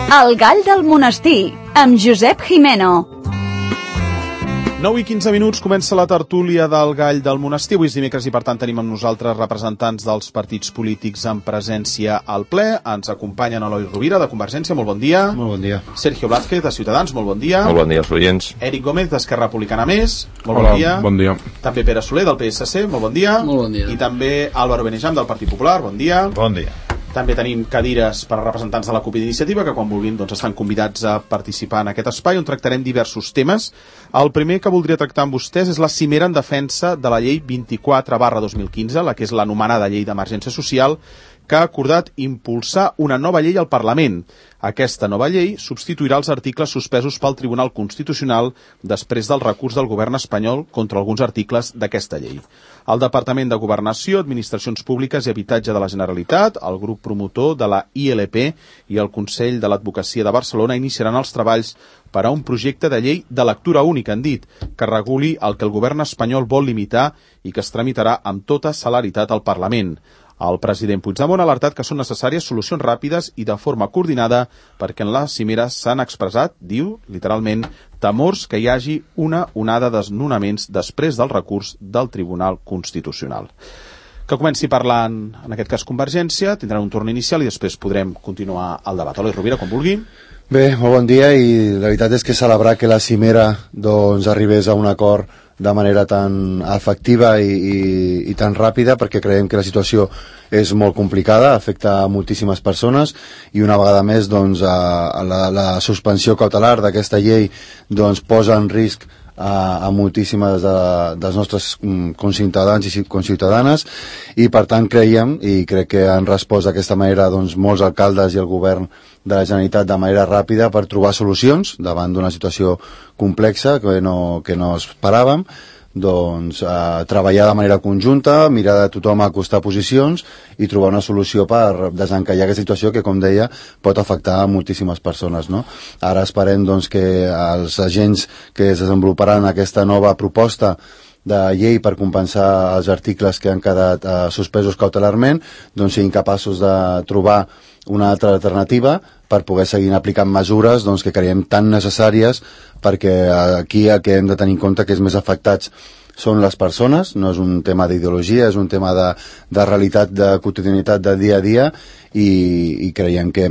El gall del monestir, amb Josep Jimeno. 9 i 15 minuts comença la tertúlia del Gall del Monestir. Avui és dimecres i, per tant, tenim amb nosaltres representants dels partits polítics en presència al ple. Ens acompanyen Eloi Rovira, de Convergència, molt bon dia. Molt bon dia. Sergio Blázquez, de Ciutadans, molt bon dia. Molt bon dia als oients. Eric Gómez, d'Esquerra Republicana Més, molt Hola, bon dia. Bon dia. També Pere Soler, del PSC, molt bon dia. Molt bon dia. I també Álvaro Benejam, del Partit Popular, bon dia. Bon dia. També tenim cadires per a representants de la CUP i d'Iniciativa, que quan vulguin estan convidats a participar en aquest espai, on tractarem diversos temes. El primer que voldria tractar amb vostès és la cimera en defensa de la llei 24/2015, la que és l'anomenada llei d'emergència social, que ha acordat impulsar una nova llei al Parlament. Aquesta nova llei substituirà els articles suspesos pel Tribunal Constitucional després del recurs del govern espanyol contra alguns articles d'aquesta llei. El Departament de Governació, Administracions Públiques i Habitatge de la Generalitat, el grup promotor de la ILP i el Consell de l'Advocacia de Barcelona iniciaran els treballs per a un projecte de llei de lectura única, han dit, que reguli el que el govern espanyol vol limitar i que es tramitarà amb tota celeritat al Parlament. El president Puigdemont ha alertat que són necessàries solucions ràpides i de forma coordinada perquè en la cimera s'han expressat, diu, literalment, temors que hi hagi una onada de desnonaments després del recurs del Tribunal Constitucional. Que comenci parlant, en aquest cas Convergència, tindran un torn inicial i després podrem continuar el debat. Eloi Rovira, com vulgui. Bé, molt bon dia, i la veritat és que celebrar que la cimera arribés a un acord de manera tan efectiva i tan ràpida, perquè creiem que la situació és molt complicada, afecta a moltíssimes persones, i una vegada més la suspensió cautelar d'aquesta llei posa en risc a moltíssimes dels nostres conciutadans i conciutadanes, i per tant creiem, i crec que han respost d'aquesta manera molts alcaldes i el govern de la Generalitat de manera ràpida per trobar solucions davant d'una situació complexa que no esperàvem, treballar de manera conjunta, mirar de tothom a acostar posicions i trobar una solució per desencallar aquesta situació que, com deia, pot afectar a moltíssimes persones, no? Ara esperem que els agents que es desenvoluparan aquesta nova proposta de llei per compensar els articles que han quedat suspesos cautelarment siguin capaços de trobar una altra alternativa per poder seguir aplicant mesures que creiem tan necessàries, perquè aquí el que hem de tenir en compte que els més afectats són les persones, no és un tema d'ideologia, és un tema de realitat, de quotidianitat, de dia a dia, i creiem que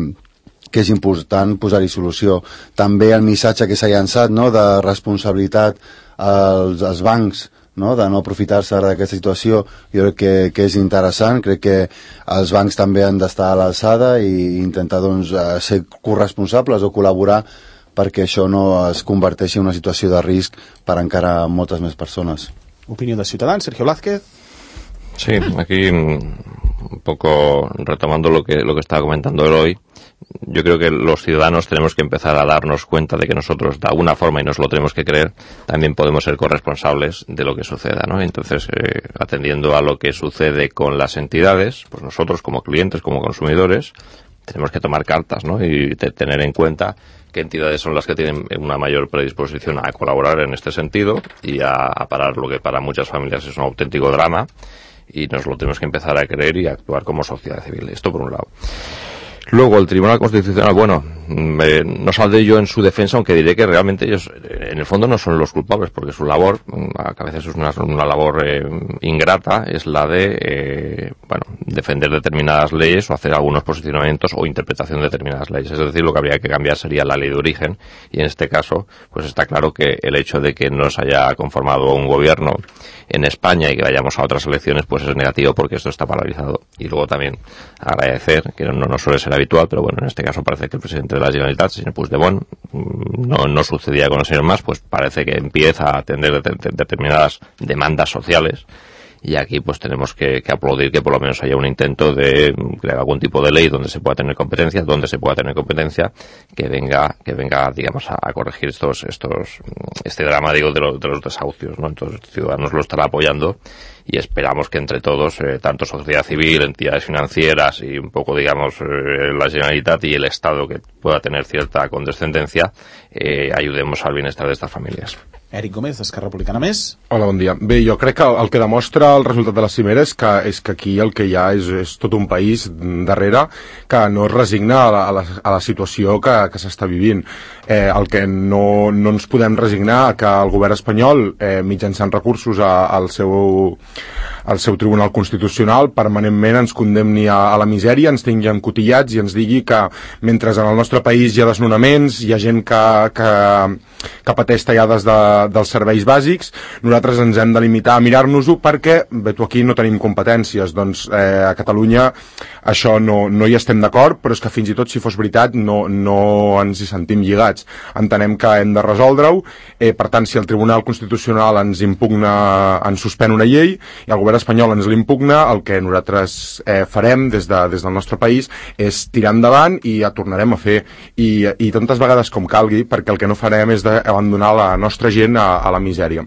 és important posar-hi solució. També el missatge que s'ha llançat de responsabilitat als bancs, de no aprofitar-se d'aquesta situació, jo crec que és interessant. Crec que els bancs també han d'estar a l'alçada i intentar ser corresponsables o col·laborar perquè això no es converteixi en una situació de risc per encara moltes més persones. Opinió de Ciutadans, Sergio Blázquez. Sí, aquí un poco retomando lo que estaba comentando Eloy, yo creo que los ciudadanos tenemos que empezar a darnos cuenta de que nosotros, de alguna forma, y nos lo tenemos que creer, también podemos ser corresponsables de lo que suceda, ¿no? Entonces, atendiendo a lo que sucede con las entidades, pues nosotros como clientes, como consumidores, tenemos que tomar cartas, ¿no? Y tener en cuenta qué entidades son las que tienen una mayor predisposición a colaborar en este sentido y a parar lo que para muchas familias es un auténtico drama, y nos lo tenemos que empezar a creer y a actuar como sociedad civil. Esto por un lado. Luego, el Tribunal Constitucional, no saldré yo en su defensa, aunque diré que realmente ellos, en el fondo, no son los culpables, porque su labor, a veces es una labor ingrata, es la de, defender determinadas leyes o hacer algunos posicionamientos o interpretación de determinadas leyes. Es decir, lo que habría que cambiar sería la ley de origen, y en este caso, pues está claro que el hecho de que no se haya conformado un gobierno en España y que vayamos a otras elecciones, pues es negativo, porque esto está paralizado. Y luego también agradecer, que no suele ser habitual, pero bueno, en este caso parece que el presidente de la Generalitat, el señor Puigdemont, no sucedía con el señor Mas, pues parece que empieza a atender determinadas demandas sociales, y aquí pues tenemos que aplaudir que por lo menos haya un intento de crear algún tipo de ley donde se pueda tener competencia, que venga digamos a corregir este drama, digo, de los desahucios, ¿no? Entonces Ciudadanos lo estará apoyando, y esperamos que entre todos, tanto sociedad civil, entidades financieras y un poco, digamos, la Generalitat y el Estado, que pueda tener cierta condescendencia, ayudemos al bienestar de estas familias. Eric Gómez, d'Esquerra Republicana Més. Hola, bon dia. Bé, jo crec que el que demostra el resultat de la cimera és que aquí el que hi ha és tot un país darrere que no es resigna a la situació que s'està vivint. El que no ens podem resignar que el govern espanyol, mitjançant recursos al seu Tribunal Constitucional, permanentment ens condemni a la misèria, ens tingui encotillats i ens digui que mentre en el nostre país hi ha desnonaments, hi ha gent que pateix tallades dels serveis bàsics, nosaltres ens hem de limitar a mirar-nos-ho perquè, bé, aquí no tenim competències. Doncs a Catalunya això no hi estem d'acord, però és que fins i tot si fos veritat no ens hi sentim lligats. Entenem que hem de resoldre-ho, per tant, si el Tribunal Constitucional ens suspèn una llei i el govern espanyol ens l'impugna, el que nosaltres farem des del nostre país és tirar endavant i ja tornarem a fer i tantes vegades com calgui, perquè el que no farem és d'abandonar la nostra gent a la misèria.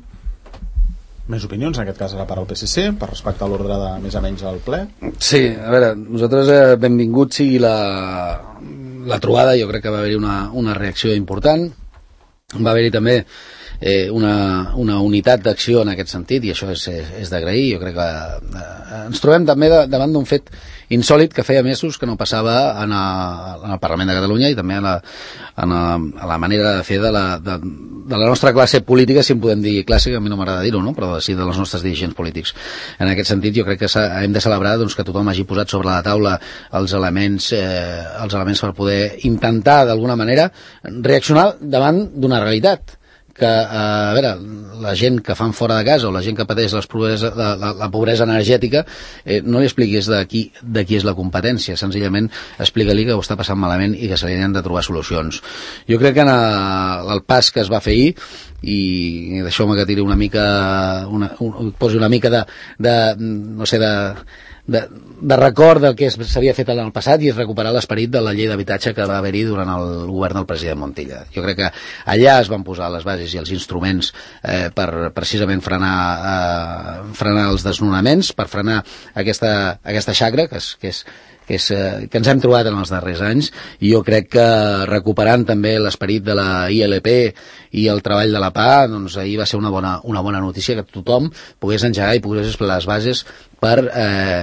Més opinions, en aquest cas a la part del PSC, per respecte a l'ordre de més o menys al ple? Sí, a veure, nosaltres benvingut sigui la trobada, jo crec que va haver-hi una reacció important, va haver-hi també una unitat d'acció en aquest sentit, i això és d'agrair. Jo crec que ens trobem també davant d'un fet insòlit que feia mesos que no passava en el Parlament de Catalunya i també a la manera de fer de la nostra classe política, si en podem dir classe, que a mi no m'agrada dir-ho, no? Però sí de els nostres dirigents polítics. En aquest sentit jo crec que hem de celebrar doncs, que tothom hagi posat sobre la taula els elements per poder intentar d'alguna manera reaccionar davant d'una realitat que, a veure, la gent que fan fora de casa o la gent que pateix la pobresa energètica, no li expliquis de qui és la competència, senzillament explica-li que ho està passant malament i que se li han de trobar solucions. Jo crec que en el pas que es va fer ahir, i deixeu-me que tiri una mica posi una mica de record del que s'havia fet en el passat i és recuperar l'esperit de la llei d'habitatge que va haver-hi durant el govern del president Montilla. Jo crec que allà es van posar les bases i els instruments per precisament frenar els desnonaments, per frenar aquesta xacra que ens hem trobat en els darrers anys, i jo crec que recuperant també l'esperit de la ILP i el treball de la PA, doncs ahir va ser una bona notícia que tothom pogués engegar i pogués explorar les bases per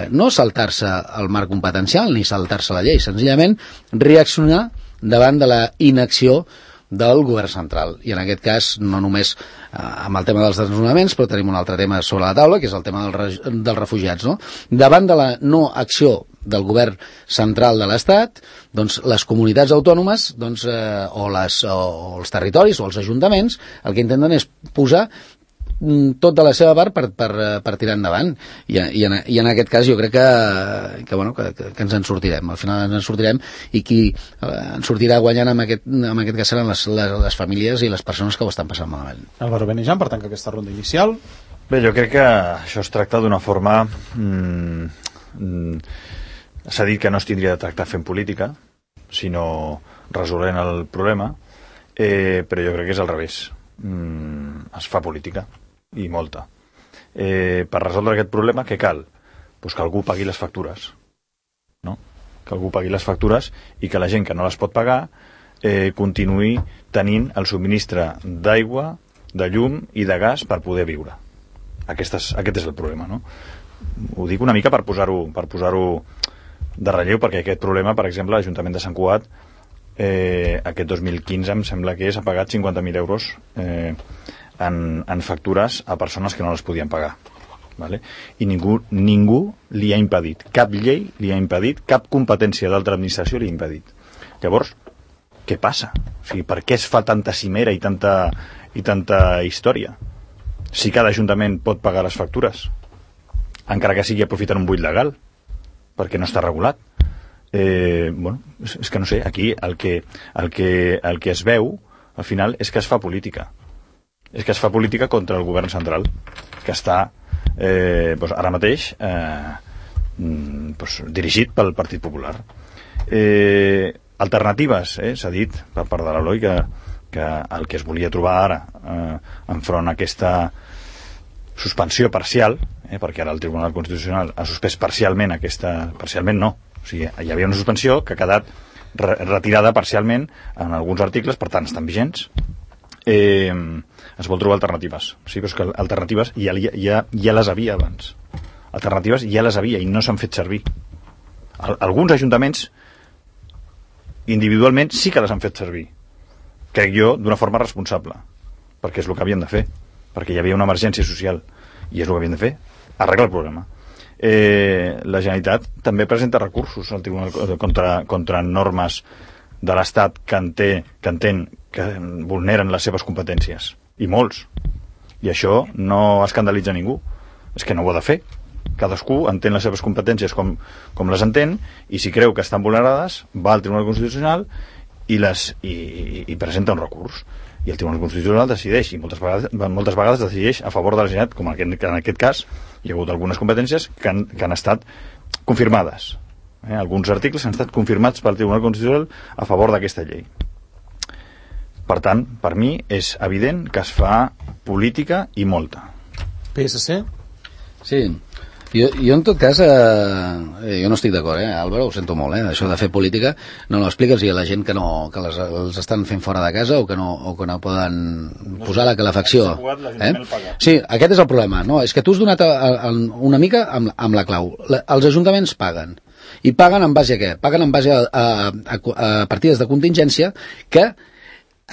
no saltar-se el marc competencial ni saltar-se la llei, senzillament reaccionar davant de la inacció del govern central. I en aquest cas no només amb el tema dels desnonaments, però tenim un altre tema sobre la taula, que és el tema dels refugiats, no? Davant de la no acció del govern central de l'Estat, doncs les comunitats autònomes o els territoris o els ajuntaments el que intenten és posar tot de la seva part per tirar endavant, i en aquest cas jo crec que ens en sortirem, al final ens en sortirem, i qui en sortirà guanyant en aquest cas seran les famílies i les persones que ho estan passant malament. Álvaro Benejam, per tant, que aquesta ronda inicial. Bé, jo crec que això es tracta d'una forma s'ha dit que no es tindria de tractar fent política, sinó resolent el problema, però jo crec que és al revés. Es fa política, i molta. Per resoldre aquest problema, què cal? Pues que algú pagui les factures, no? Que algú pagui les factures i que la gent que no les pot pagar continuï tenint el subministre d'aigua, de llum i de gas per poder viure. Aquest és el problema, no? Ho dic una mica per posar-ho de relleu, perquè aquest problema, per exemple, l'Ajuntament de Sant Cugat aquest 2015 em sembla que ha pagat 50.000 euros en factures a persones que no les podien pagar, ¿vale? I ningú li ha impedit, cap llei li ha impedit, cap competència d'altra administració li ha impedit. Llavors, què passa? O sigui, per què es fa tanta cimera i tanta història? Si cada ajuntament pot pagar les factures, encara que sigui aprofitant un buit legal, perquè no està regulat. És que no sé, aquí el que es veu al final és que es fa política. És que es fa política contra el govern central, que està ara mateix dirigit pel Partit Popular. Alternatives, s'ha dit per part de l'Eloi que el que es volia trobar ara enfront a suspensió parcial, perquè ara el Tribunal Constitucional ha suspès parcialment parcialment no, o sigui, hi havia una suspensió que ha quedat retirada parcialment en alguns articles, per tant estan vigents. Es vol trobar alternatives, sí, però és que alternatives ja les havia abans, alternatives ja les havia i no s'han fet servir. Alguns ajuntaments individualment sí que les han fet servir, crec jo, d'una forma responsable, perquè és el que havien de fer, perquè hi havia una emergència social i és el que havien de fer, arreglar el problema. La Generalitat també presenta recursos al Tribunal contra normes de l'Estat que entén que vulneren les seves competències, i molts, i això no escandalitza ningú, és que no ho ha de fer. Cadascú entén les seves competències com les entén, i si creu que estan vulnerades va al Tribunal Constitucional i presenta un recurs, i el Tribunal Constitucional decideix, i moltes vegades decideix a favor de la Generalitat, com en aquest cas hi ha hagut algunes competències que han estat confirmades, alguns articles han estat confirmats pel Tribunal Constitucional a favor d'aquesta llei. Per tant, per mi és evident que es fa política i molta. PSC? Sí. Jo en tot cas, jo no estic d'acord, Álvaro, ho sento molt, això de fer política, no l'expliques a la gent que els estan fent fora de casa o que no poden posar la calefacció. Sí, aquest és el problema, no? És que tu has donat una mica amb la clau. Els ajuntaments paguen. I paguen en base a què? Paguen en base a partides de contingència que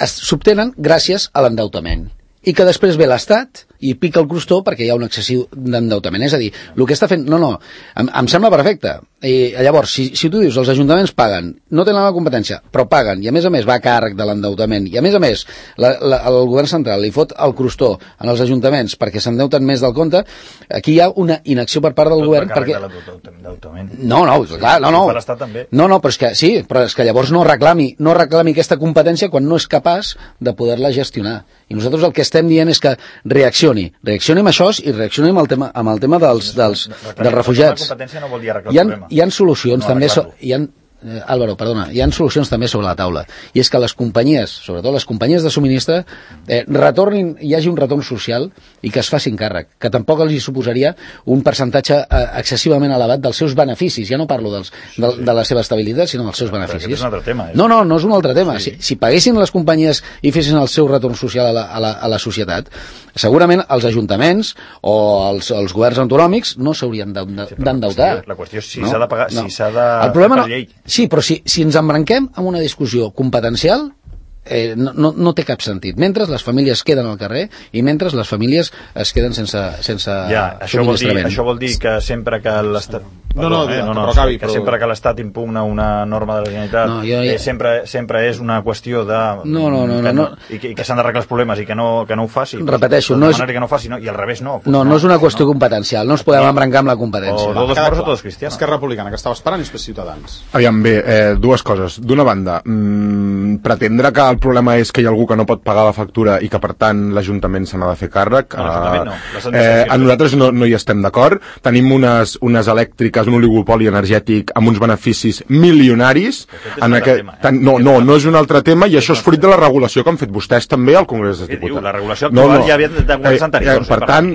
s'obtenen gràcies a l'endeutament. I que després ve l'Estat i pica el crostó perquè hi ha un excessiu d'endeutament. És a dir, el que està fent... No, em sembla perfecte. I llavors, si tu dius els ajuntaments paguen, no tenen la competència, però paguen, i a més va a càrrec de l'endeutament, i a més el govern central li fot el crostó en els ajuntaments perquè s'endeuten més del compte, aquí hi ha una inacció per part del govern perquè... No, clar, no. Per l'Estat també. No, però és que sí, però és que llavors no reclami aquesta competència quan no és capaç de poder-la gestionar. I nosaltres el que estem dient és que reaccioni amb això i reaccioni amb el tema dels refugiats. La competència no vol dir arreglar el problema. Hi ha solucions també, Álvaro, perdona, hi ha solucions també sobre la taula, i és que les companyies, sobretot les companyies de subministre, hi hagi un retorn social i que es facin càrrec, que tampoc els hi suposaria un percentatge excessivament elevat dels seus beneficis. Ja no parlo de la seva estabilitat, sinó dels seus beneficis. Però és un altre tema. No és un altre tema. Si paguessin les companyies i fessin el seu retorn social a la societat, segurament els ajuntaments o els governs autonòmics no s'haurien d'endeutar. La qüestió és si s'ha de pagar, si s'ha de fer per llei. Sí, però si ens embranquem amb una discussió competencial, no té cap sentit. Mentre les famílies queden al carrer i mentre les famílies es queden sense subministrament. Això vol dir que sempre que l'Estat... que sempre que l'Estat impugna una norma de la Generalitat sempre és una qüestió de... I que s'han d'arreglar els problemes i que no ho faci. Repeteixo, i al revés no. No és una qüestió competencial, no ens podem embrancar amb la competència. O todos moros o todos cristianos. Esquerra Republicana, que estava esperant, i després Ciutadans. Aviam, bé, dues coses. D'una banda, pretendre que el problema és que hi ha algú que no pot pagar la factura i que per tant l'Ajuntament se n'ha de fer càrrec, a nosaltres no hi estem d'acord. Tenim unes elèctriques, un oligopoli energètic amb uns beneficis milionaris no és un altre tema, i això és fruit de la regulació que han fet vostès també al Congrés dels Diputats. La regulació actual ja havia de governs anteriors. Per tant,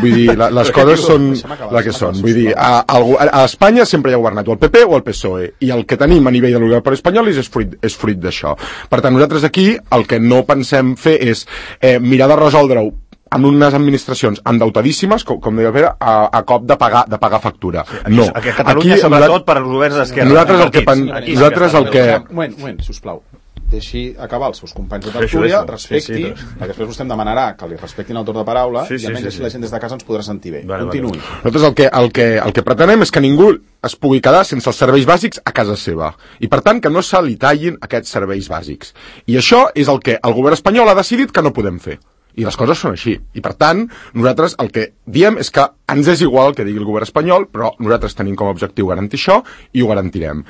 vull dir, les coses són la que són. Vull dir, a Espanya sempre hi ha governat o el PP o el PSOE, i el que tenim a nivell de l'Unió espanyol és fruit d'això. Per tant, nosaltres aquí el que no pensem fer és mirar de resoldre-ho amb unes administracions endeutadíssimes, com deia Pere, a cop de pagar factura. No. A Catalunya, sobretot per als governs d'esquerra. Nosaltres el que... Un moment, sisplau. Deixi acabar els seus companys de tertúlia, respecti, perquè després vostè em demanarà que li respectin el torn de paraula, i almenys així la gent des de casa ens podrà sentir bé. Continuï. Nosaltres el que pretenem és que ningú es pugui quedar sense els serveis bàsics a casa seva, i per tant que no se li tallin aquests serveis bàsics. I això és el que el govern espanyol ha decidit que no podem fer. I les coses són així. I per tant, nosaltres el que diem és que ens és igual el que digui el govern espanyol, però nosaltres tenim com a objectiu garantir això i ho garantirem.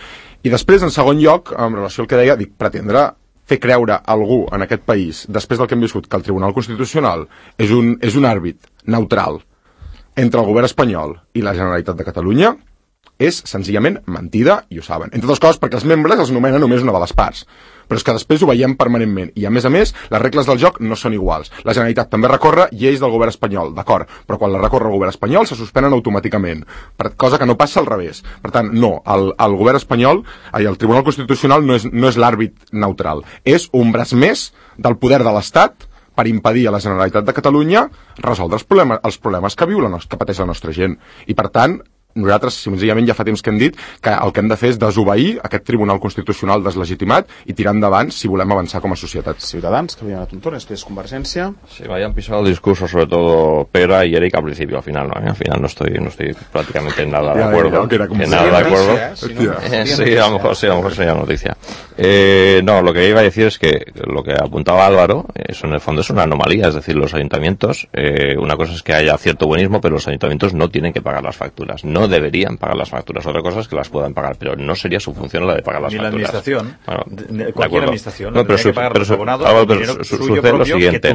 I després, en segon lloc, en relació al que deia, pretendre fer creure a algú en aquest país, després del que hem viscut, que el Tribunal Constitucional és un àrbit neutral entre el govern espanyol i la Generalitat de Catalunya, és senzillament mentida i ho saben. Entre altres coses perquè els membres els nomenen només una de les parts. Però és que després ho veiem permanentment. I a més, les regles del joc no són iguals. La Generalitat també recorre lleis del govern espanyol, d'acord, però quan la recorre el govern espanyol se suspenen automàticament, cosa que no passa al revés. Per tant, no, el govern espanyol, el Tribunal Constitucional no és l'àrbit neutral. És un braç més del poder de l'Estat per impedir a la Generalitat de Catalunya resoldre els problemes que pateix la nostra gent. I per tant, nosaltres senzillament ja fa temps que hem dit que el que hem de fer és desobeir aquest Tribunal Constitucional deslegitimat i tirar endavant si volem avanzar com a societat. Ciudadanos, que habían a Tuntón, després Convergencia. Sí, me habían pisado el discurso, sobre todo Pera y Eric al principio, al final no, al final no estoy prácticamente en nada de acuerdo. Sí, a lo mejor sería noticia. No, lo que iba a decir es que lo que apuntaba Álvaro, eso en el fondo es una anomalía, es decir, los ayuntamientos, una cosa es que haya cierto buenismo, pero los ayuntamientos no tienen que pagar las facturas, no deberían pagar las facturas. Otra cosa es que las puedan pagar, pero no sería su función la de pagar las facturas. Ni la administración. Bueno, cualquier administración. No, pero sucede lo siguiente.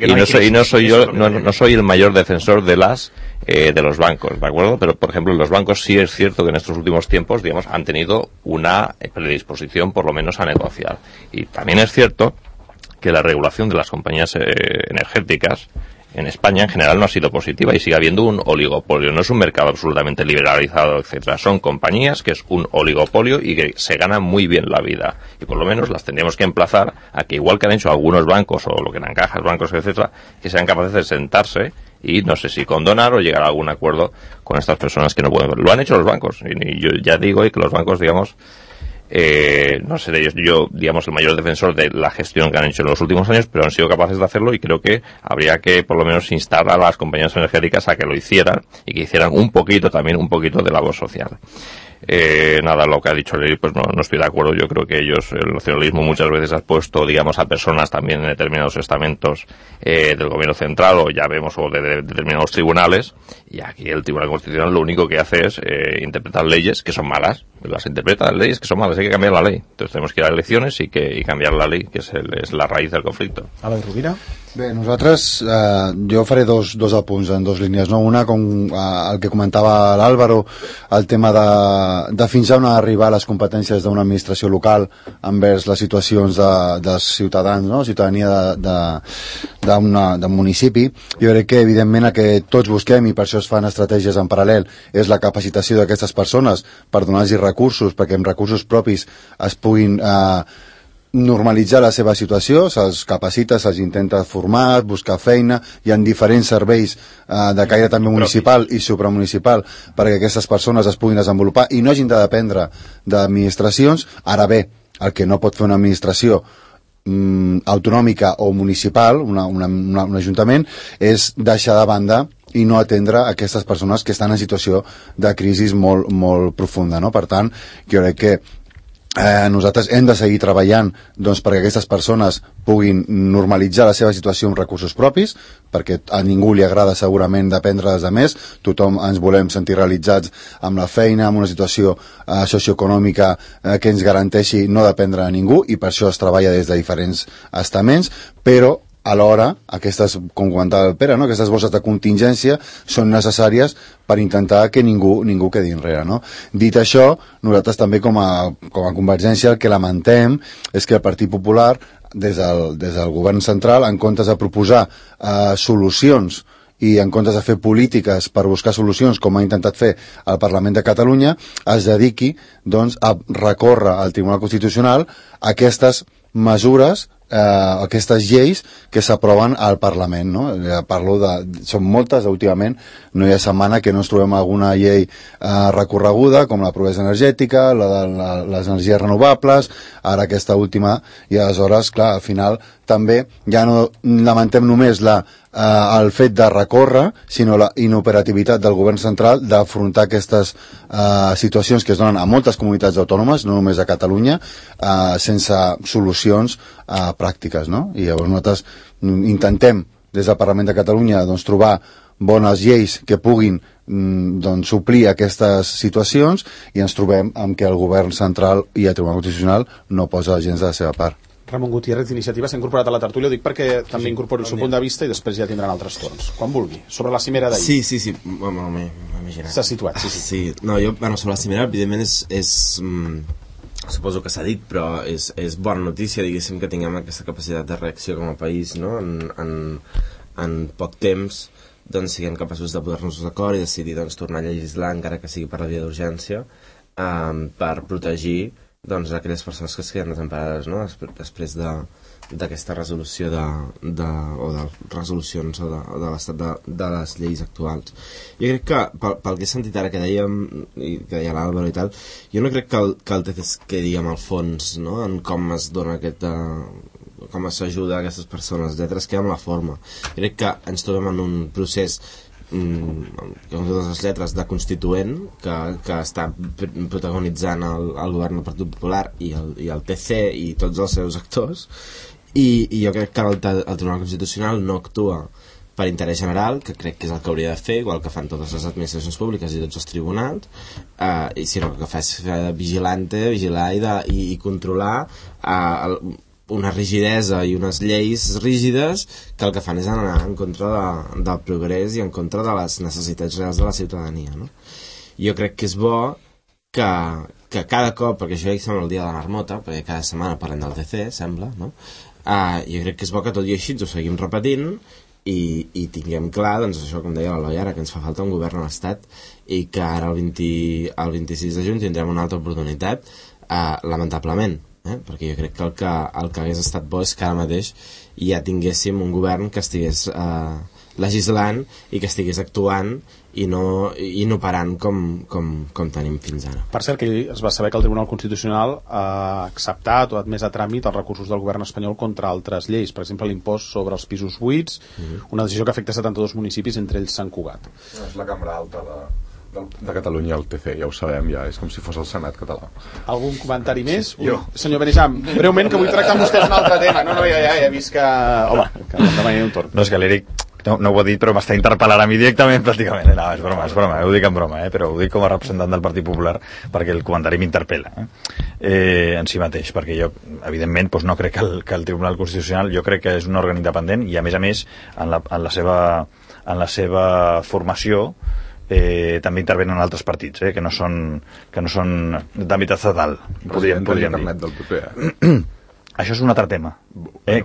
Y no soy el mayor defensor de los bancos, ¿de acuerdo? Pero, por ejemplo, los bancos sí es cierto que en estos últimos tiempos, digamos, han tenido una predisposición, por lo menos, a negociar. Y también es cierto que la regulación de las compañías energéticas en España en general no ha sido positiva y sigue habiendo un oligopolio. No es un mercado absolutamente liberalizado, etcétera. Son compañías que es un oligopolio y que se ganan muy bien la vida. Y por lo menos las tendríamos que emplazar a que, igual que han hecho algunos bancos o lo que eran cajas, bancos, etcétera, que sean capaces de sentarse y no sé si condonar o llegar a algún acuerdo con estas personas que no pueden. Lo han hecho los bancos. Y yo ya digo que los bancos, digamos, no sé, yo, digamos, el mayor defensor de la gestión que han hecho en los últimos años, pero han sido capaces de hacerlo y creo que habría que, por lo menos, instar a las compañías energéticas a que lo hicieran y que hicieran un poquito de labor social. Nada, lo que ha dicho Leir, pues no estoy de acuerdo. Yo creo que el nacionalismo muchas veces ha puesto, digamos, a personas también en determinados estamentos del gobierno central o ya vemos o de determinados tribunales, y aquí el Tribunal Constitucional lo único que hace es interpretar leyes que son malas, las interpreta leyes que son malas, hay que cambiar la ley. Entonces tenemos que ir a elecciones y cambiar la ley, que es la raíz del conflicto. Albert Rovira. Bé, nosaltres, jo faré dos apunts en dos línies, no? Una, com el que comentava l'Àlvaro, el tema de fins on arribar les competències d'una administració local envers les situacions dels ciutadans, no? Ciutadania d'un municipi. Jo crec que, evidentment, el que tots busquem, i per això es fan estratègies en paral·lel, és la capacitació d'aquestes persones per donar-los recursos, perquè amb recursos propis es puguin normalitzar la seva situació, se'ls capacita, se'ls intenta formar, buscar feina, hi ha diferents serveis de caire també municipal i supramunicipal perquè aquestes persones es puguin desenvolupar i no hagin de dependre d'administracions. Ara bé, el que no pot fer una administració autonòmica o municipal, un ajuntament, és deixar de banda i no atendre aquestes persones que estan en situació de crisi molt, molt profunda, no? Per tant, jo crec que nosaltres hem de seguir treballant doncs, perquè aquestes persones puguin normalitzar la seva situació amb recursos propis, perquè a ningú li agrada segurament dependre dels altres, tothom ens volem sentir realitzats amb la feina, amb una situació socioeconòmica que ens garanteixi no dependre de ningú, i per això es treballa des de diferents estaments, però alhora, aquestes, com comentava el Pere, no? Aquestes bosses de contingència són necessàries per intentar que ningú quedi enrere, no? Dit això, nosaltres també com a Convergència el que lamentem és que el Partit Popular, des del govern central, en comptes de proposar solucions i en comptes de fer polítiques per buscar solucions, com ha intentat fer el Parlament de Catalunya, es dediqui doncs, a recórrer al Tribunal Constitucional aquestes mesures, aquestes lleis que s'aproven al Parlament, no? Són moltes, últimament no hi ha setmana que no ens trobem alguna llei recorreguda, com la pobresa energètica, la de les energies renovables, ara aquesta última, i aleshores, clar, al final també ja no lamentem només el fet de recórrer, sinó la inoperativitat del govern central d'afrontar aquestes situacions que es donen a moltes comunitats autònomes, no només a Catalunya, sense solucions pràctiques, no? I llavors nosaltres intentem des del Parlament de Catalunya doncs, trobar bones lleis que puguin doncs, suplir aquestes situacions, i ens trobem amb que el govern central i el Tribunal Constitucional no posa gens de la seva part. Ramon Gutiérrez, d'Iniciativa, s'ha incorporat a la tertúlia. Ho dic perquè també incorporo el seu punt de vista i després ja tindran altres torns. Quan vulgui. Sobre la cimera d'ahir. Sí. Bueno, m'he imaginat. S'ha situat, sí. Sí, no, jo, sobre la cimera, evidentment suposo que s'ha dit, però és bona notícia, diguéssim, que tinguem aquesta capacitat de reacció com a país, no? En poc temps, doncs, siguem capaços de posar-nos d'acord i decidir, doncs, tornar a legislar, encara que sigui per la via d'urgència, per protegir, doncs, aquelles persones que es queden desemparades, no? Després d'aquesta resolució o de resolucions o de l'estat de les lleis actuals. Jo crec que, pel que he sentit ara que dèiem, i que deia l'Àlvaro i tal, jo no crec que el TC es quedi amb el fons, no?, en com es dona com s'ajuda a aquestes persones, etc. Es queda amb la forma. Jo crec que ens trobem en un procés com totes les lletres de constituent que està protagonitzant el govern del Partit Popular i el TC i tots els seus actors, i jo crec que el Tribunal Constitucional no actua per interès general, que crec que és el que hauria de fer, igual que fan totes les administracions públiques i tots els tribunals, sinó que fa vigilar i controlar una rigidesa i unes lleis rígides que el que fan és anar en contra del progrés i en contra de les necessitats reals de la ciutadania, no? Jo crec que és bo que cada cop, perquè això ja sembla el dia de la marmota, perquè cada setmana parlem del TC, sembla, no? Jo crec que és bo que tot i així ens ho seguim repetint i tinguem clar, doncs això, com deia l'Eloi ara, que ens fa falta un govern a l'Estat i que ara el 26 de juny tindrem una altra oportunitat, lamentablement, perquè jo crec que el que hagués estat bo és que ara mateix ja tinguéssim un govern que estigués legislant i que estigués actuant i no parant com tenim fins ara. Per cert, que es va saber que el Tribunal Constitucional ha acceptat o ha admès a tràmit els recursos del govern espanyol contra altres lleis, per exemple l'impost sobre els pisos buits, una decisió que afecta 72 municipis, entre ells Sant Cugat. És la cambra alta de Catalunya, el TC, ja ho sabem, ja és com si fos el Senat català. Algun comentari més? Jo. Senyor Benejam, breument, que vull tractar amb vostès un altre tema. No, ja he vist que... Home, que em demani un torn. No, és que l'Eric no ho ha dit, però m'està interpel·lant a mi directament, pràcticament. No, és broma, ho dic en broma, però ho dic com a representant del Partit Popular, perquè el comentari m'interpel·la en si mateix, perquè jo, evidentment, no crec que el Tribunal Constitucional, jo crec que és un òrgan independent, i a més, en la seva formació, també intervenen altres partits, que no són d'àmbit estatal, podríem dir. Això és un altre tema.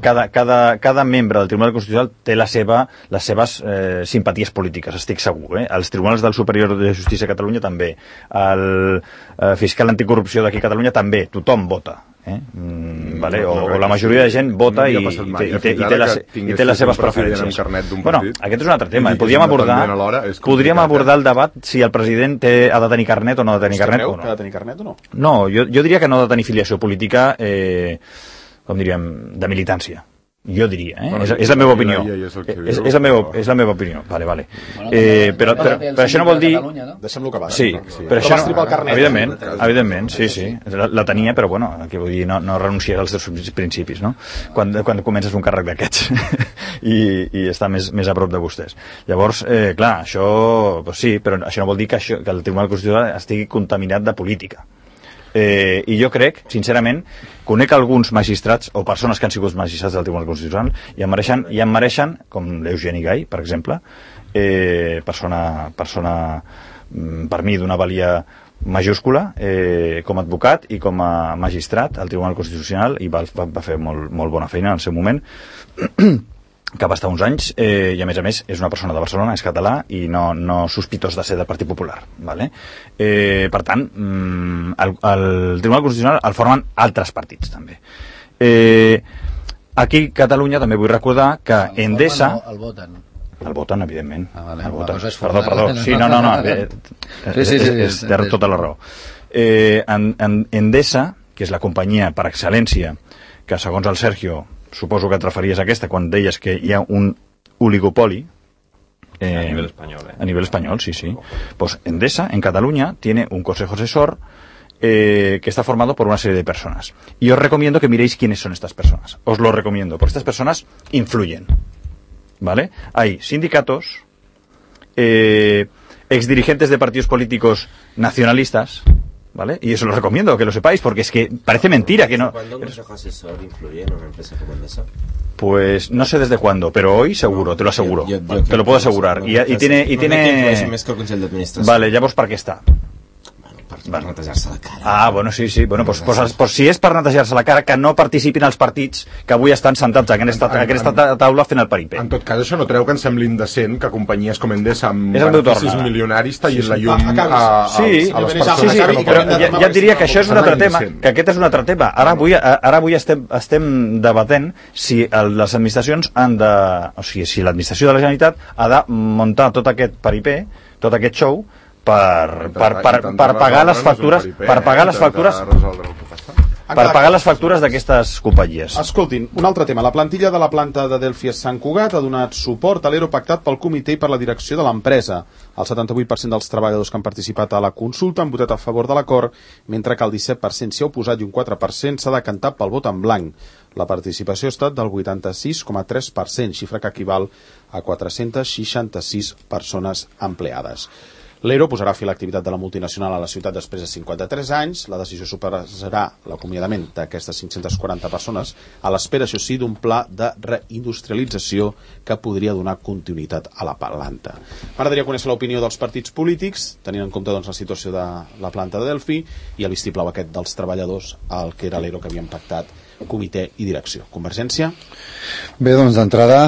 Cada membre del Tribunal Constitucional té les seves simpaties polítiques, estic segur. Els tribunals del Superior de Justícia de Catalunya també. El fiscal anticorrupció d'aquí a Catalunya també. Tothom vota. Vale? O la majoria de gent vota i té les seves preferències. Bueno, aquest és un altre tema. Podríem abordar el debat si el president ha de tenir carnet o no ha de tenir carnet. Creu que ha de tenir carnet o no? No, jo diria que no ha de tenir filiació política, com diríem, de militància. Jo diria, és la meva opinió. És la meva opinió. Vale. Però això no vol dir... Deixem-lo acabar. Sí, però això no... Evidentment, sí. La tenia, però bueno, aquí vull dir, no renunciar als teus principis, no? Quan comences un càrrec d'aquests i està més a prop de vostès. Llavors, clar, això sí, però això no vol dir que el Tribunal Constitucional estigui contaminat de política. I jo crec, sincerament, conec alguns magistrats o persones que han sigut magistrats del Tribunal Constitucional i em mereixen, com l'Eugeni Gai, per exemple, persona per mi d'una valia majúscula, com a advocat i com a magistrat al Tribunal Constitucional, i va fer molt bona feina en el seu moment, que va estar uns anys, i a més és una persona de Barcelona, és català i no sospitós de ser del Partit Popular, vale? Per tant, el Tribunal Constitucional el formen altres partits també. Aquí a Catalunya també vull recordar que Endesa... El voten. El voten, evidentment. Vale. El voten. Perdó. Sí, no. Té tota la raó. Endesa, que és la companyia per excel·lència, que segons el Sergio, suposo que et referies a aquesta quan deies que hi ha un oligopoli a nivel español. A nivel español, sí. Pues Endesa, en Cataluña, tiene un consejo asesor que está formado por una serie de personas. Y os recomiendo que miréis quiénes son estas personas. Os lo recomiendo, porque estas personas influyen. ¿Vale? Hay sindicatos, exdirigentes de partidos políticos nacionalistas, ¿vale? Y eso lo recomiendo, que lo sepáis, porque es que parece mentira que no... ¿Cuándo un consejo asesor influye en una empresa como Endesa? Pues no sé desde cuándo, pero hoy seguro, te lo aseguro. Te lo puedo asegurar. Y tiene... Més que el Consell d'Administració. Vale, llavors per què està? Per netejar-se la cara. Ah, bueno, sí. Bueno, pues si és per netejar-se la cara, que no participin els partits que avui estan sentats en aquesta taula fent el paripé. En tot cas, això no treu que ens sembli indecent que companyies com Endesa amb és beneficis milionaris tallin la llum a les persones que no però poden... ja et diria que això és un altre tema, que aquest és un altre tema. Ara avui estem debatent si les administracions han de... O sigui, si l'administració de la Generalitat ha de muntar tot aquest paripé, tot aquest show, per pagar les factures d'aquestes companyies. Escoltin, un altre tema. La plantilla de la planta de Delphi a Sant Cugat ha donat suport a l'ERO pactat pel comitè i per la direcció de l'empresa. El 78% dels treballadors que han participat a la consulta han votat a favor de l'acord, mentre que el 17% s'hi ha oposat i un 4% s'ha decantat pel vot en blanc. La participació ha estat del 86,3%, xifra que equival a 466 persones empleades. L'ERO posarà fi a l'activitat de la multinacional a la ciutat després de 53 anys. La decisió suposarà l'acomiadament d'aquestes 540 persones a l'espera, això sí, d'un pla de reindustrialització que podria donar continuïtat a la planta. M'agradaria conèixer l'opinió dels partits polítics, tenint en compte doncs, la situació de la planta de Delphi i el vistiplau aquest dels treballadors al que era l'ERO que havien pactat comitè i direcció. Convergència? Bé, doncs d'entrada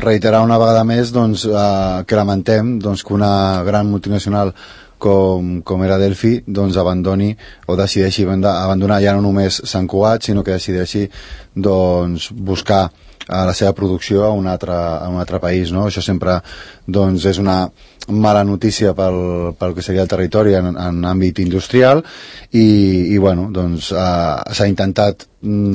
reiterar una vegada més que lamentem que una gran multinacional com era Delphi abandoni o decideixi abandonar ja no només Sant Cugat, sinó que decideixi buscar la seva producció a un altre país, no? Això sempre és una mala notícia pel que seria el territori en àmbit industrial i s'ha intentat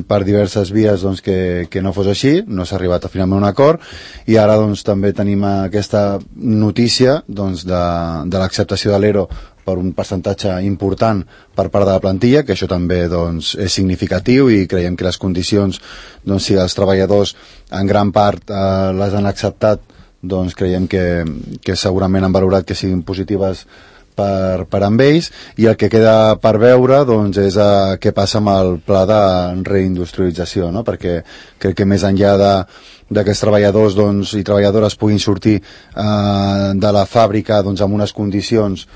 per diverses vies que no fos així, no s'ha arribat finalment a un acord i ara també tenim aquesta notícia de l'acceptació de l'ERO per un percentatge important per part de la plantilla, que això també és significatiu i creiem que les condicions, si els treballadors en gran part les han acceptat, creiem que segurament han valorat que siguin positives per amb ells i el que queda per veure és què passa amb el pla de reindustrialització, no? Perquè crec que més enllà que els treballadors i treballadores puguin sortir de la fàbrica amb unes condicions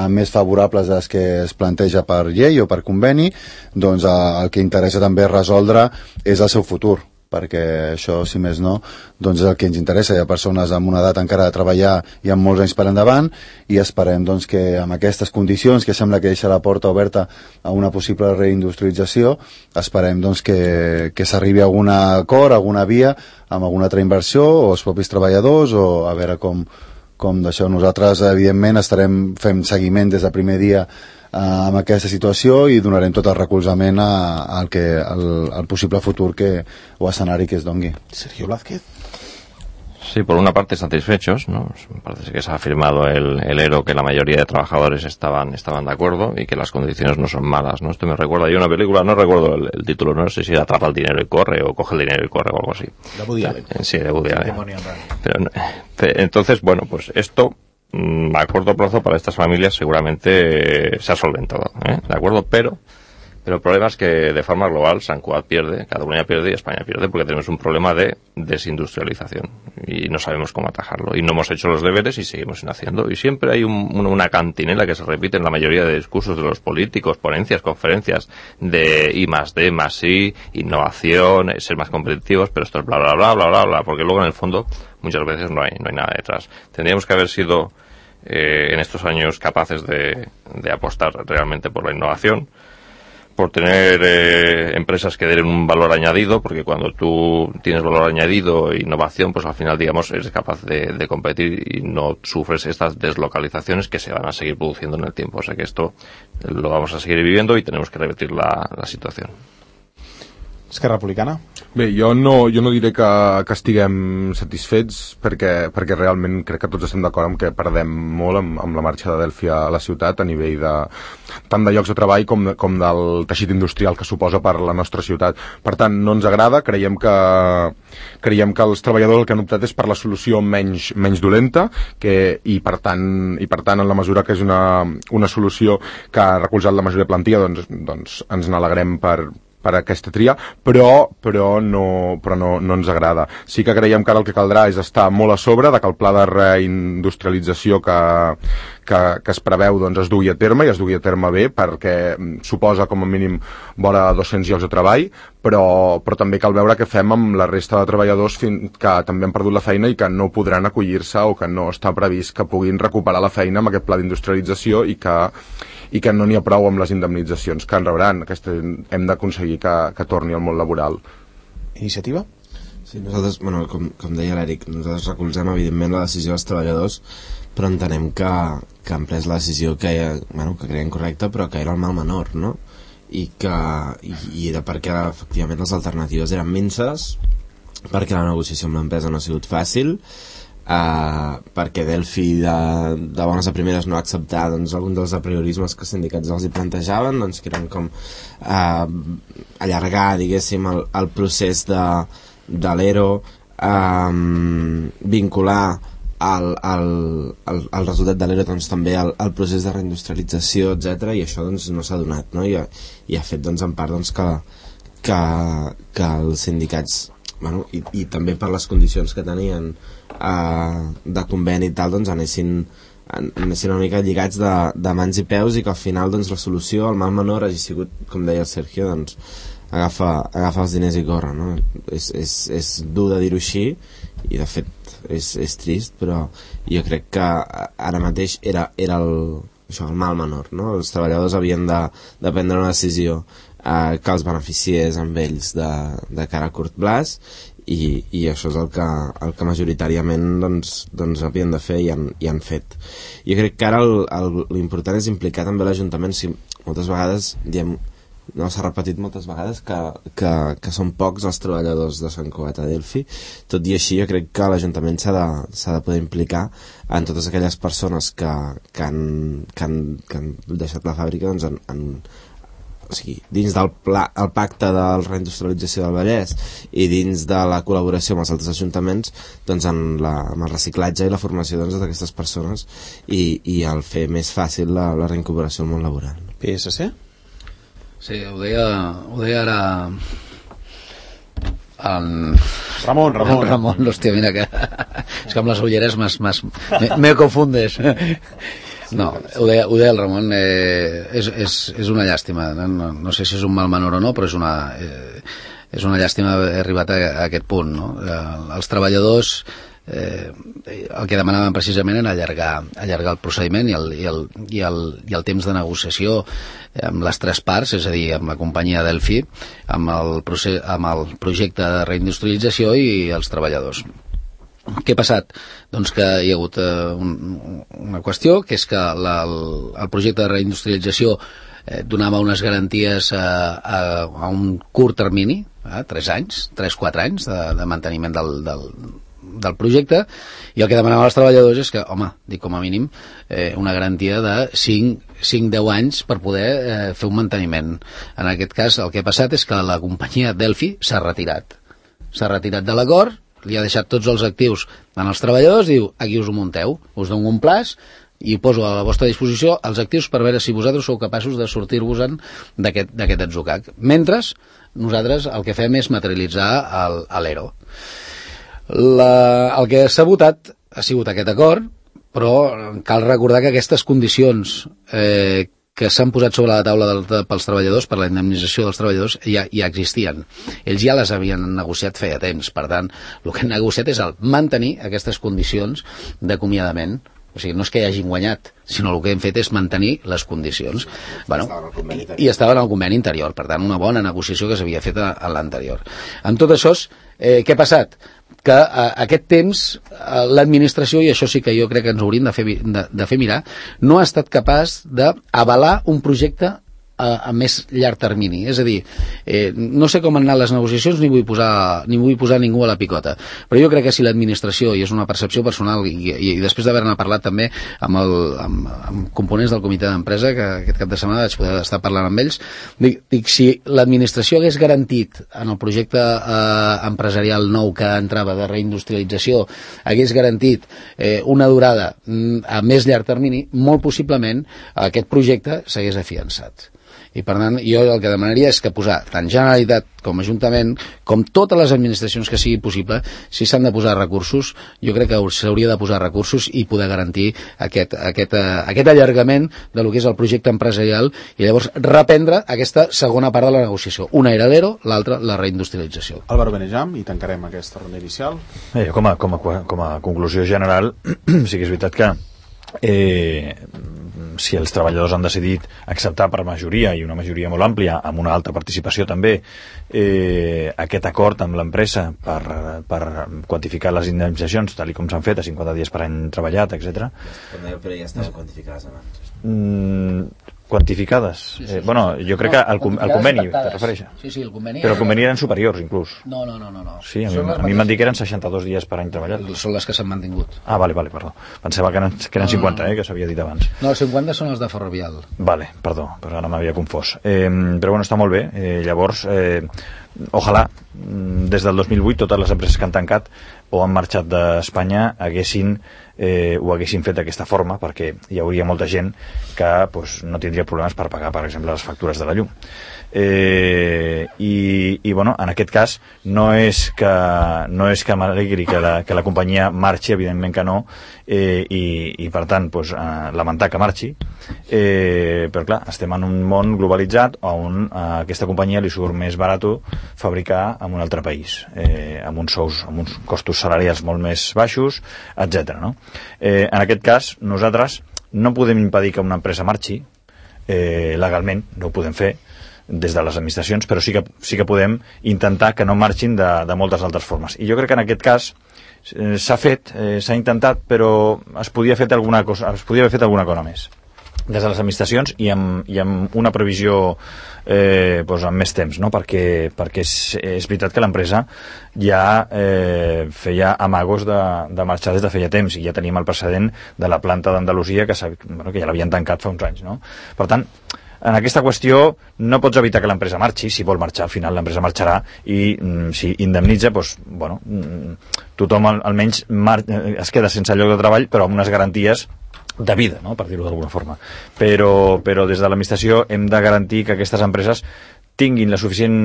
més favorables a les que es planteja per llei o per conveni, el que interessa també resoldre és el seu futur, perquè això, si més no, és el que ens interessa. Hi ha persones amb una edat encara de treballar i amb molts anys per endavant i esperem que amb aquestes condicions, que sembla que deixa la porta oberta a una possible reindustrialització, esperem que s'arribi a algun acord, a alguna via, amb alguna altra inversió o els propis treballadors o a veure com d'això. Nosaltres, evidentment, estarem fent seguiment des del primer dia amb aquesta situació i donarem tot el recolzament al possible futur o escenari que es dongui. Sergio Blázquez. Sí, por una parte satisfechos, ¿no? Parece que se ha firmado el ERO, que la mayoría de trabajadores estaban de acuerdo y que las condiciones no son malas, ¿no? Esto me recuerda a una película, no recuerdo el título, no sé si Atrapa el dinero y corre o Coge el dinero y corre o algo así. De Woody Allen. Sí, de Woody Allen. Entonces, bueno, pues esto a corto plazo para estas familias seguramente se ha solventado, ¿de acuerdo? Pero el problema es que de forma global Sant Cugat pierde, Cataluña pierde y España pierde porque tenemos un problema de desindustrialización y no sabemos cómo atajarlo y no hemos hecho los deberes y seguimos sin haciendo y siempre hay una cantinela que se repite en la mayoría de discursos de los políticos, ponencias, conferencias de I+D, I+I, innovación, ser más competitivos, pero esto es bla bla bla bla bla bla, porque luego en el fondo muchas veces no hay nada detrás. Tendríamos que haber sido en estos años capaces de apostar realmente por la innovación, por tener empresas que den un valor añadido, porque cuando tú tienes valor añadido e innovación, pues al final, digamos, eres capaz de competir y no sufres estas deslocalizaciones que se van a seguir produciendo en el tiempo. O sea que esto lo vamos a seguir viviendo y tenemos que revertir la situación. Esquerra Republicana? Bé, jo no diré que estiguem satisfets perquè realment crec que tots estem d'acord amb que perdem molt amb la marxa de Delphi a la ciutat a nivell tant de llocs de treball com del teixit industrial que suposa per la nostra ciutat. Per tant, no ens agrada, creiem que els treballadors el que han optat és per la solució menys dolenta i per tant en la mesura que és una solució que ha recolzat la majoria de plantilla, doncs ens n'alegrem per aquesta tria, però no ens agrada. Sí que creiem que ara el que caldrà és estar molt a sobre de que el pla de reindustrialització que es preveu es dugui a terme i es dugui a terme bé, perquè suposa com a mínim vora 200 llocs de treball, però també cal veure què fem amb la resta de treballadors que també han perdut la feina i que no podran acollir-se o que no està previst que puguin recuperar la feina amb aquest pla d'industrialització i que no n'hi ha prou amb les indemnitzacions que en rebran. Hem d'aconseguir que torni al món laboral. Iniciativa? Sí, nosaltres, com deia l'Eric, nosaltres recolzem evidentment la decisió dels treballadors, però entenem que han pres la decisió que creiem correcta, però que era el mal menor, no? I era perquè efectivament les alternatives eren minces, perquè la negociació amb l'empresa no ha sigut fàcil, perquè Delphi de bones a primeres no ha acceptat algun dels apriorismes que els sindicats els hi plantejaven, que eren com allargar, diguéssim, el procés de l'ERO, vincular el resultat de l'ERO també al procés de reindustrialització, etc. I això no s'ha donat, no? I ha fet en part que els sindicats, i també per les condicions que tenien de conveni i tal, anessin una mica lligats de mans i peus, i que al final la solució, el mal menor, hagi sigut, com deia el Sergio, agafa els diners i corre, no? És dur de dir-ho així, i de fet és trist, però jo crec que ara mateix era el mal menor, no? Els treballadors havien de prendre una decisió que els beneficiés amb ells de cara a curt plaç, i això és el que majoritàriament havien de fer i han fet. Jo crec que ara l'important és implicar també l'Ajuntament. Si moltes vegades diem, s'ha repetit moltes vegades que són pocs els treballadors de Sant Cugat a Delphi, tot i així jo crec que l'Ajuntament s'ha de poder implicar en totes aquelles persones que han deixat la fàbrica o sigui, dins del pacte de la reindustrialització del Vallès i dins de la col·laboració amb els altres ajuntaments, amb el reciclatge i la formació d'aquestes persones i el fer més fàcil la reincorporació al món laboral. PSC? Sí, ho deia ara Ramon, hòstia, mira que és que amb les ulleres me confundes. No, ho deia el Ramon, és una llàstima, no sé si és un mal menor o no, però és una llàstima haver arribat a aquest punt, no? Els treballadors el que demanaven precisament era allargar el procediment i el temps de negociació amb les tres parts, és a dir, amb la companyia Delphi, amb el projecte de reindustrialització i els treballadors. Què ha passat? Doncs que hi ha hagut una qüestió, que és que el projecte de reindustrialització donava unes garanties a un curt termini, 3-4 anys de manteniment del projecte, i el que demanaven els treballadors és que, com a mínim, una garantia de 5-10 anys per poder fer un manteniment. En aquest cas, el que ha passat és que la companyia Delphi s'ha retirat de l'acord, li ha deixat tots els actius en els treballadors, diu, aquí us ho munteu, us dono un plaç i poso a la vostra disposició els actius per veure si vosaltres sou capaços de sortir-vos-en d'aquest atzucac. Mentre nosaltres el que fem és materialitzar l'ERO. El que s'ha votat ha sigut aquest acord, però cal recordar que aquestes condicions que s'han posat sobre la taula pels treballadors, per la indemnització dels treballadors, ja existien. Ells ja les havien negociat feia temps. Per tant, el que han negociat és mantenir aquestes condicions d'acomiadament. O sigui, no és que hi hagin guanyat, sinó el que hem fet és mantenir les condicions. I estava en el conveni interior. Per tant, una bona negociació que s'havia fet en l'anterior. Amb tot això, què ha passat? Que aquest temps l'administració, i això sí que jo crec que ens hauríem de fer mirar, no ha estat capaç d'avalar un projecte a més llarg termini. És a dir, no sé com han anat les negociacions ni vull posar ningú a la picota, però jo crec que si l'administració, i és una percepció personal, i després d'haver-ne parlat també amb components del comitè d'empresa, que aquest cap de setmana vaig poder estar parlant amb ells, dic si l'administració hagués garantit en el projecte empresarial nou que entrava de reindustrialització, hagués garantit una durada a més llarg termini, molt possiblement aquest projecte s'hagués afiançat. I per tant, jo el que demanaria és que posar tant Generalitat com Ajuntament, com totes les administracions que sigui possible, si s'han de posar recursos, jo crec que s'hauria de posar recursos i poder garantir aquest allargament de lo que és el projecte empresarial i llavors reprendre aquesta segona part de la negociació. Una era l'ERO, l'altra la reindustrialització. Álvaro Benejam, i tancarem aquesta ronda inicial. Com a conclusió general, sí que és veritat que si els treballadors han decidit acceptar per majoria, i una majoria molt àmplia, amb una alta participació també, aquest acord amb l'empresa per quantificar les indemnitzacions, tal com s'han fet, a 50 dies per any treballat, etc. Però ja estaven quantificades abans. Quantificades? Sí. Bueno, jo crec que el conveni te refereixes. Sí, el conveni... Però el conveni eren superiors, inclús. No. Sí, a mi m'han dit que eren 62 dies per any treballat. Són les que s'han mantingut. Ah, vale, perdó. Pensava que eren 50, que s'havia dit abans. No, els 50 són els de Ferrovial. Vale, perdó, però ara m'havia confós. Però bueno, està molt bé. Llavors, ojalà, des del 2008, totes les empreses que han tancat o han marxat d'Espanya ho haguessin fet d'aquesta forma, perquè hi hauria molta gent que no tindria problemes per pagar, per exemple, les factures de la llum. I bueno, en aquest cas no és que m'alegri que la companyia marxi, evidentment que no, i per tant lamentar que marxi, però clar, estem en un món globalitzat on a aquesta companyia li surt més barat fabricar en un altre país, amb uns sous, amb uns costos salarials molt més baixos, etc. No? En aquest cas nosaltres no podem impedir que una empresa marxi, legalment no ho podem fer des de les administracions, però sí que podem intentar que no marxin de moltes altres formes. I jo crec que en aquest cas s'ha intentat, però es podia haver fet alguna cosa més des de les administracions i amb una previsió amb més temps, no? perquè és veritat que l'empresa ja feia amagos de marxar des de feia temps, i ja tenim el precedent de la planta d'Andalusia que ja l'havien tancat fa uns anys, no? Per tant, en aquesta qüestió no pots evitar que l'empresa marxi. Si vol marxar, al final l'empresa marxarà, i si indemnitza, tothom almenys es queda sense lloc de treball, però amb unes garanties de vida, no? Per dir-ho d'alguna forma. Però des de l'administració hem de garantir que aquestes empreses tinguin la suficient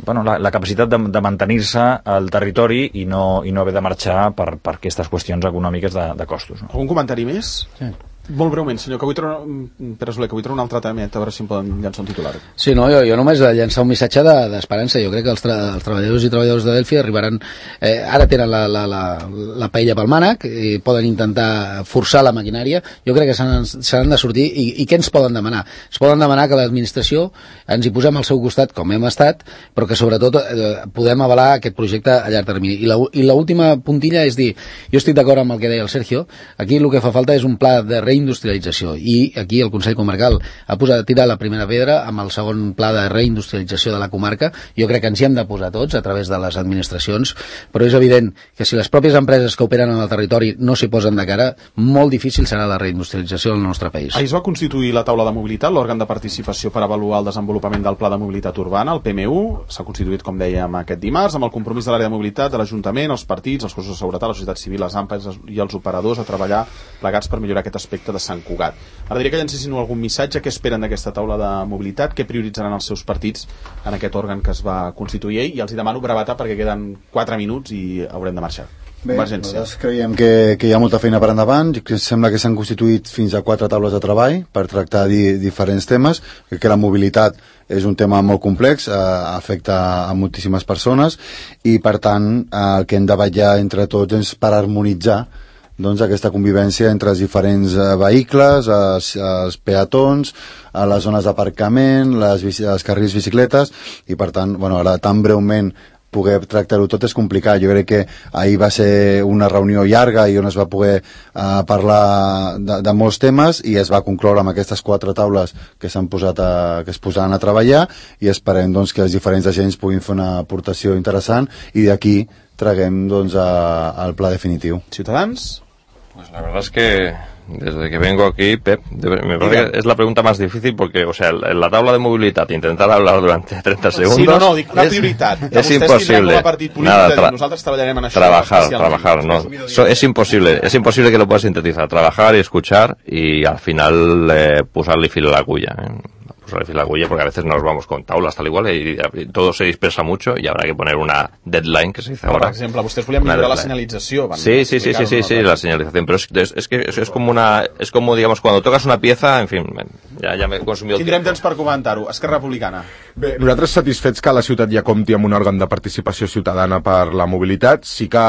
la capacitat de mantenir-se al territori i no haver de marxar per aquestes qüestions econòmiques de costos. No? Algun comentari més? Sí. Molt breument, senyor, que vull treure un altre temet, a veure si em poden llançar un titular. Sí, no, jo només llançar un missatge d'esperança. Jo crec que els treballadors i treballadors de Delphi arribaran... ara tenen la paella pel mànec i poden intentar forçar la maquinària. Jo crec que s'han de sortir. I què ens poden demanar? Es poden demanar que l'administració ens hi posem al seu costat, com hem estat, però que sobretot podem avalar aquest projecte a llarg termini. I l'última puntilla és dir, jo estic d'acord amb el que deia el Sergio, aquí el que fa falta és un pla de reindustrialització, i aquí el Consell Comarcal ha posat a tirar la primera pedra amb el segon pla de reindustrialització de la comarca. Jo crec que ens hi hem de posar tots a través de les administracions, però és evident que si les pròpies empreses que operen en el territori no s'hi posen de cara, molt difícil serà la reindustrialització del nostre país. Ahir es va constituir la taula de mobilitat, l'òrgan de participació per avaluar el desenvolupament del pla de mobilitat urbana, el PMU. S'ha constituït, com dèiem, aquest dimarts, amb el compromís de l'àrea de mobilitat, de l'Ajuntament, els partits, els cossos de seguretat, la societat civil, les AMPAs i els operadors a treballar plegats per millorar aquest aspecte de Sant Cugat. Ara diria que llancessin algun missatge. Què esperen d'aquesta taula de mobilitat? Què prioritzaran els seus partits en aquest òrgan que es va constituir ahir? I els hi demano brevetat perquè queden 4 minuts i haurem de marxar. Bé, nosaltres creiem que hi ha molta feina per endavant. Sembla que s'han constituït fins a 4 taules de treball per tractar diferents temes. Crec que la mobilitat és un tema molt complex, afecta a moltíssimes persones, i per tant el que hem de vetllar entre tots és per harmonitzar aquesta convivència entre els diferents vehicles, els peatons, a les zones d'aparcament, els carrils bicicletes, i per tant, ara tan breument poder tractar-ho tot és complicat. Jo crec que ahir va ser una reunió llarga i on es va poder parlar de molts temes i es va concloure amb aquestes 4 taules que s'han posat que es posaran a treballar i esperem doncs, que els diferents agents puguin fer una aportació interessant i d'aquí traguem doncs, al pla definitiu. Ciutadans? Pues la verdad es que desde que vengo aquí, Pep, me parece que es la pregunta más difícil porque, o sea, en la tabla de movilidad, intentar hablar durante 30 segundos... Sí, no, dic una prioritat. Es imposible. Nosotros trabajarem en això. Trabajar, no. Es imposible que lo puedas sintetizar. Trabajar y escuchar y al final posarle fil a la agulla. Porque a veces nos vamos con taulas tal igual y todo se dispersa mucho y habrá que poner una deadline que se dice ahora. Por ejemplo, ustedes volían mejorar la señalización. Sí, la señalización, pero es como digamos cuando tocas una pieza, en fin, ja me he consumido el Tindrem temps per comentar-ho. Esquerra Republicana. Bé, nosaltres satisfets que la ciutat ja compti amb un òrgan de participació ciutadana per la mobilitat, sí que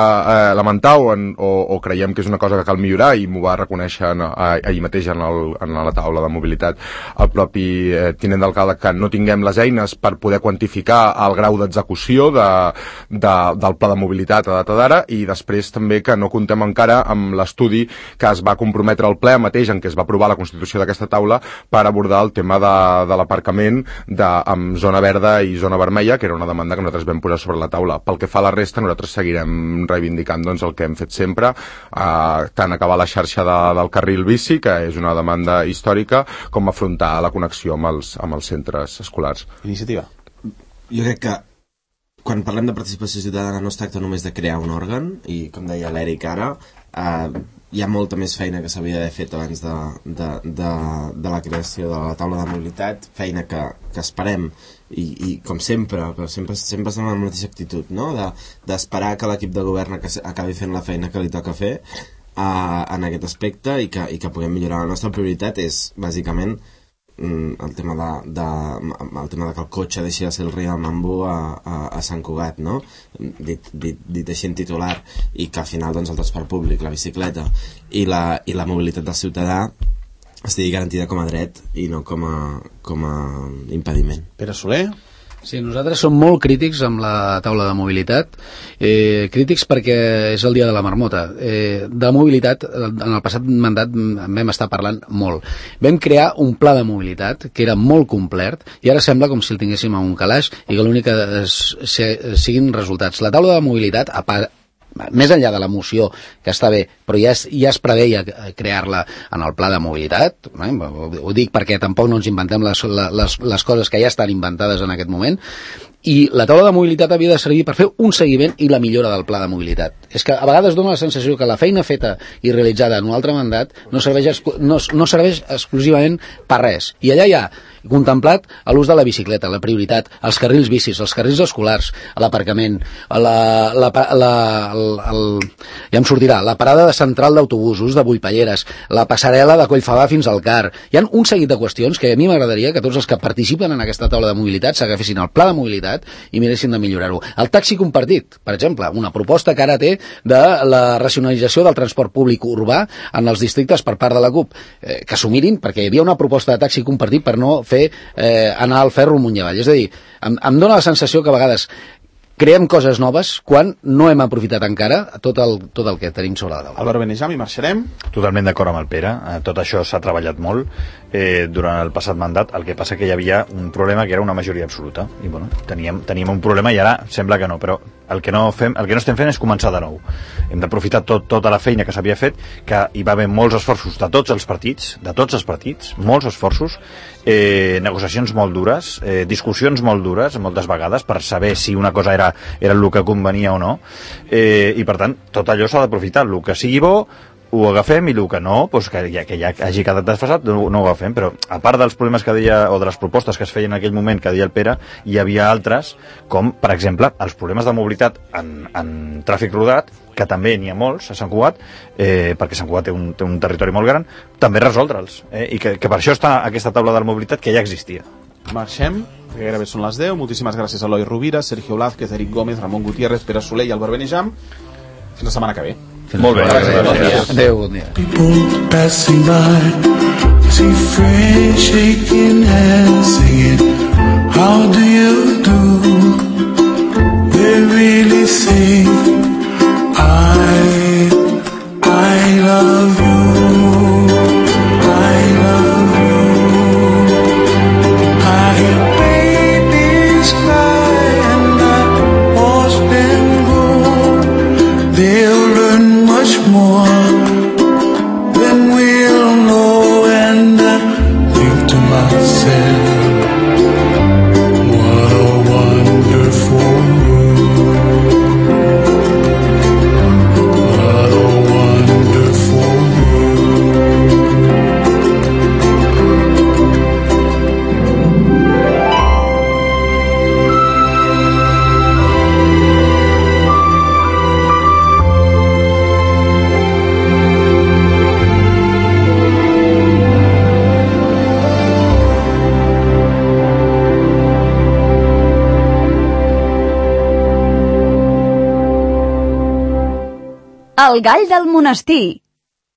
lamentar o creiem que és una cosa que cal millorar i m'ho va reconèixer ahir mateix en la taula de mobilitat el propi tinent d'alcalde, que no tinguem les eines per poder quantificar el grau d'execució del pla de mobilitat a data d'ara i després també que no comptem encara amb l'estudi que es va comprometre al ple mateix en què es va aprovar la constitució d'aquesta taula per abordar el tema de l'aparcament amb zona verda i zona vermella, que era una demanda que nosaltres vam posar sobre la taula. Pel que fa a la resta, nosaltres seguirem reivindicant doncs, el que hem fet sempre, tant acabar la xarxa del carril bici, que és una demanda històrica, com afrontar la connexió amb els centres escolars. Iniciativa. Jo crec que quan parlem de participació ciutadana no es tracta només de crear un òrgan, i com deia l'Eric ara, hi ha molta més feina que s'havia d'haver fet abans de la creació de la taula de mobilitat, feina que esperem i com sempre, però sempre estem amb la mateixa actitud, no? D'esperar que l'equip de govern acabi fent la feina que li toca fer en aquest aspecte i que puguem millorar. La nostra prioritat és bàsicament el tema de que el cotxe deixi de ser el rei del mambo a Sant Cugat, no? dit així en titular, i que al final doncs, el transport públic, la bicicleta i la mobilitat del ciutadà estigui garantida com a dret i no com a impediment. Pere Soler? Sí, nosaltres som molt crítics amb la taula de mobilitat, crítics perquè és el dia de la marmota. De mobilitat, en el passat mandat en vam estar parlant molt. Vam crear un pla de mobilitat que era molt complet i ara sembla com si el tinguéssim a un calaix i que l'únic que siguin resultats. La taula de mobilitat, més enllà de la moció, que està bé, però ja es preveia crear-la en el pla de mobilitat, ho dic perquè tampoc no ens inventem les coses que ja estan inventades en aquest moment, i la taula de mobilitat havia de servir per fer un seguiment i la millora del pla de mobilitat. És que a vegades dona la sensació que la feina feta i realitzada en un altre mandat no serveix exclusivament per res. I allà hi ha contemplat l'ús de la bicicleta, la prioritat, els carrils bicis, els carrils escolars, l'aparcament, ja em sortirà, la parada de central d'autobusos, de Bullpalleres, la passarel·la de Collfabà fins al CAR. Hi ha un seguit de qüestions que a mi m'agradaria que tots els que participen en aquesta taula de mobilitat s'agafessin el pla de mobilitat i miressin de millorar-ho. El taxi compartit, per exemple, una proposta que ara té de la racionalització del transport públic urbà en els districtes per part de la CUP, que s'ho mirin, perquè hi havia una proposta de taxi compartit per no fer anar al ferro amunt i avall. És a dir, em dóna la sensació que a vegades creem coses noves quan no hem aprofitat encara tot el que tenim sobre la taula. Álvaro Benejam, i marxarem. Totalment d'acord amb el Pere. Tot això s'ha treballat molt durant el passat mandat. El que passa que hi havia un problema que era una majoria absoluta. I bueno, teníem un problema i ara sembla que no, però el que no estem fent és començar de nou. Hem d'aprofitar tota la feina que s'havia fet, que hi va haver molts esforços de tots els partits, molts esforços, negociacions molt dures, discussions molt dures moltes vegades per saber si una cosa era el que convenia o no, i per tant tot allò s'ha d'aprofitar, el que sigui bo ho agafem i el que no, doncs que ja hagi quedat desfasat no ho agafem, però a part dels problemes que deia, o de les propostes que es feien en aquell moment que deia el Pere, hi havia altres com per exemple els problemes de mobilitat en tràfic rodat, que també n'hi ha molts a Sant Cugat, perquè Sant Cugat té un territori molt gran, també resoldre'ls, i que per això està aquesta taula de la mobilitat que ja existia. Marxem, que gairebé són les 10. Moltíssimes gràcies a Eloi Rovira, Sergio Blázquez, Eric Gómez, Ramon Gutiérrez, Pere Soler i Álvaro Benejam. Fins la setmana que ve. Molt bé, gràcies. Adéu, bon dia. People passing by, see friends shaking hands, singing, how do you do? There El gall del monestir.